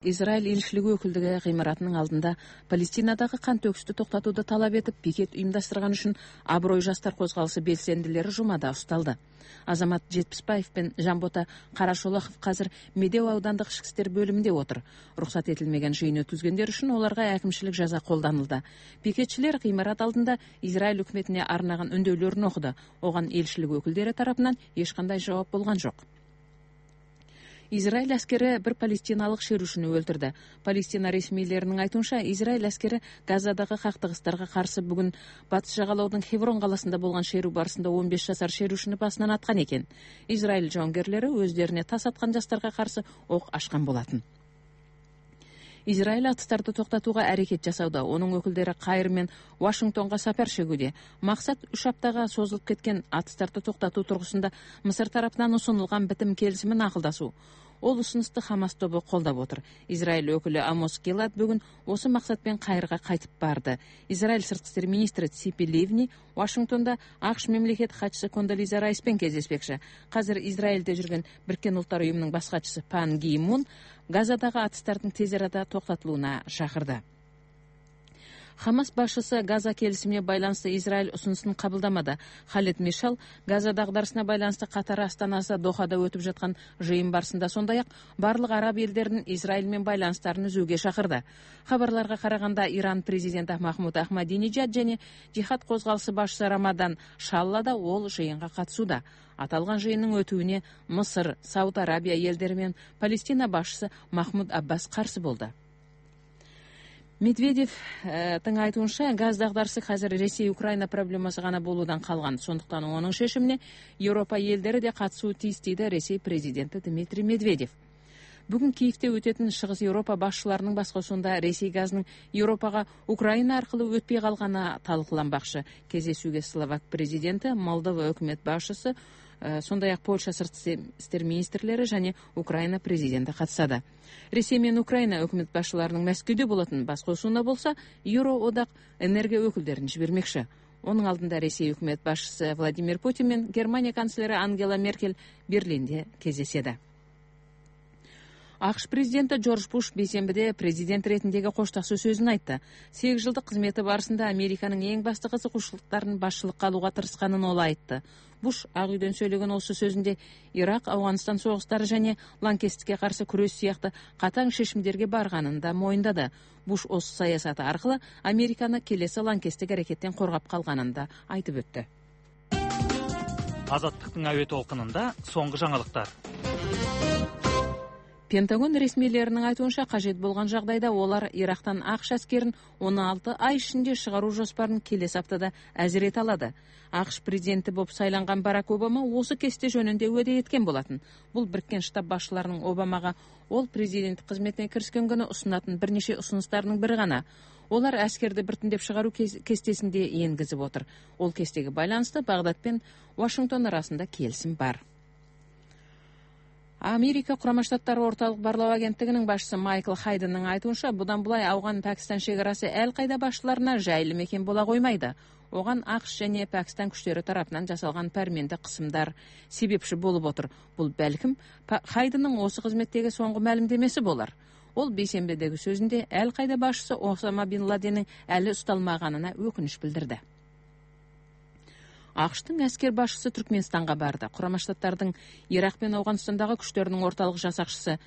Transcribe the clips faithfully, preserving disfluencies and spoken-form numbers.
Израиль элчилиги өкүлдүгү гыймаратынын алдында Палестинадагы кан төгүштү токтотууду талап этип пикет уюмдаштырган үчүн Аброй жаштар козголушу белсендилери жумада ушталды. Азамат Жетпишбаев пен Жамбота Карашолохов азыр Медеу аудандык ички иштер бөлүмүндө отур. Уруксат этилмеген жыйын өткүзгөндөр үчүн аларга әкимчилик жаза колдонулду. Пикетчилер гыймарат алдында Израиль өкмөтүнө арнаган өндөөлөрүн окуду. Оган элчилик өкүлдөрү тарапынан эч кандай жооп болгон жок. Израиль аскери бир палестиналык шерушуну өлтүрдү. Палестина ресмийлеринин айтуунча, Израиль аскери Газадагы кактыгыстарга каршы бүгүн батыш жагалоодун Хеврон каласында болгон шеру барысында он беш жашар шерушуну басынан аткан экен. Израиль жауынгерлери өздөрүнө тас аткан жаштарга каршы ок ачкан болотун. Израиль атыстарды токтотууга аракет жасауда. Онун өкүлдөрү Кайр менен Вашингтонго сапар шегүүдө. Максат үч аптага созулуп кеткен атыстарды токтотуу тургусунда Мысыр тарапынан усунулган битим келисимин акылдасуу. Ол усунусту Хамас тобу колдоп отур. Израиль өкүлү Амос Гилад бүгүн осы максатпен Кайрга кайтып барды. Израиль сырткы иштер министри Ципи Ливни Вашингтонда АКШ мамлекет катчысы Кондолиза Райспен кездеспекчи. Казыр Израилде жүргөн Бириккен Улуттар уюмунун баш катчысы Пан Ги Мун Газадагы атыстардын тез арада токтотулууна чакырды. Хамас башчысы Газа келисимине байланыштуу Израиль усунусун кабылдамады. Халид Мишал Газа дагдарысына байланыштуу Катар астанасы Дохада өтүп жаткан жыйын барысында сондай-ак барлык араб элдеринин Израиль менен байланыштарын үзүүгө чакырды. Хабарларга караганда, Иран президенти Махмуд Ахмадинежад жана жихад козголушу башчысы Рамадан Шалла да ол жыйынга катышууда. Аталган жыйындын өтүүнө Мысыр, Сауд Арабия элдери менен Палестина башчысы Махмуд Аббас каршы болду. Медведевдин айтуунча, газ дагдарысы азыр Ресей-Украина проблемасы гана болуудан калган. Сондуктан онун шешимине Европа элдери де катышуу тийиз, дейди Ресей президенти Дмитрий Медведев. Бүгүн Киевде өтөтүн Чыгыс Европа башчыларынын баскосуунда Ресей газынын Европага Украина аркылуу өтпөй калганы талкууланбакчы. Кездесүүгө Словак президенти, Молдова өкмөт башчысы, сондай-ак Польша сырткы иштер министрлери жана Украина президенти катышады. Ресей менен Украина өкмөт башчыларынын Мәскөөдө болотун баскосуунда болсо, Евроодак энергия өкүлдөрүн жибермекчи. Онун алдында Ресей өкмөт башчысы Владимир Путин менен Германия канцлери Ангела Меркель Берлинде кездешеди. АКШ президенти Джордж Буш бейсенбиде президент ретиндеги кошташуу сөзүн айтты. сегиз жылдык кызмети барысында Американын эң басты кызыгуучулуктарын башчылыкка алууга тырышканын ол айтты. Буш Ак үйдөн сүйлөгөн осы сөзүндө Ирак, Афганистан согуштары жана лаңкестикке каршы күрөш сыяктуу катаң шешимдерге барганын да моюндады. Буш осы саясаты аркылуу Американы келесі лаңкестик аракеттен коргап калганын да айтып өттү. Азаттыктын абе толкунунда соңку жаңылыктар. Пентагон ресмийлеринин айтуунча, кажет болгон жагдайда олар Ирактан АКШ аскерин он алты ай ичинде чыгаруу жоспарын келесі аптада азирете алады. АКШ президенти болуп сайланган Барак Обама осы кесте жөнүндө уәде эткен болатын. Бул Бириккен Штат башчыларынын Обамага ол президент кызметине киришкен күнү усунатын бир нече усунустарынын бири гана. Олар аскерди биртиндеп чыгаруу кестесинде энгизип отур. Ол кестеге байланыштуу Багдад менен Вашингтон арасында келисим бар. Америка Курама Штаттары орталык барлоо агенттигинин башчысы Майкл Хайденнин айтуунча, будан булай Афган-Пакистан чекарасы эл кайда башчыларына жайлы мекен бола коймайды. Оган АКШ жана Пакистан күчтөрү тараптан жасалган пәрменде кысымдар себепчи болуп отур. Бул балким Хайденнин осы кызметтеги соңку маалимдемеси болар. Ол бейсенбидеги сөзүндө эл кайда башчысы Осама бин Ладенин әлі усталмаганына өкүнүч билдирди. АКШтын аскер башчысы Түркмөнстанга барды. Курама Штаттардын Ирак менен Афганстандагы күчтөрүнүн орталык жасакчысы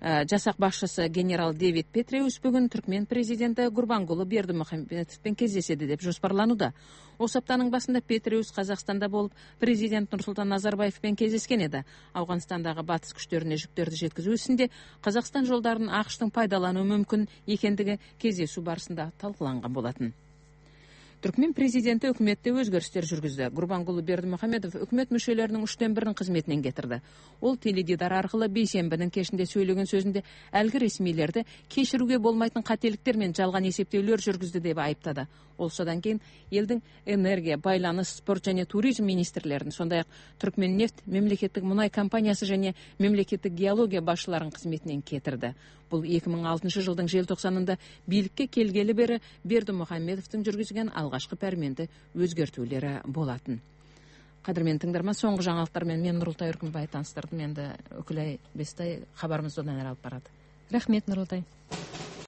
жасак башчысы генерал Дэвид Петреус бүгүн Түркмен президенти Гурбангулы Бердимухамедовпен кездешеди деп жоспарланууда. Осы аптанын башында Петреус Казакстанда болуп, президент Нурсултан Назарбаевпен кездешкен эди. Афганстандагы батыс күчтөрүнө жүктөрдү жеткизүү исинде Казакстан жолдарын АКШтын пайдалануу мүмкүн экендиги кездесүү барысында талкууланган болотун. Түркмен президенти өкмөттө өзгөрүштөр жүргүздү. Гурбангулы Бердимухамедов өкмөт мүчөлөрүнүн үчтөн бирин кызметинен кетирди. Ол теледидар аркылуу бейсенбинин кечинде сүйлөгөн сөзүндө алги ресмийлерди кечирүүгө болмайтын кателиктер менен жалган эсептөөлөр жүргүздү деп айыптады. Ол содан кийин элдин энергия, байланыш, спорт жана туризм министрлерин, сондай-ак Түркменнефть мемлекеттик мунай компаниясы жана мемлекеттик геология башчыларынын кызметинен кетирди. Бул эки миң алтынчы жылдын желтоқсанында бийликке келгели бери Бердимухамедовдун жүргүзгөн алгачкы пәрменди өзгөртүүлөрү болатын. Кадырмен тыңдарман, соңку жаңалыктар менен мен Нурултай Өркүнбай таныстырдым. Энди Өкүлай Бестай кабарыбызды одан ары алып барат. рахмет Нурултай.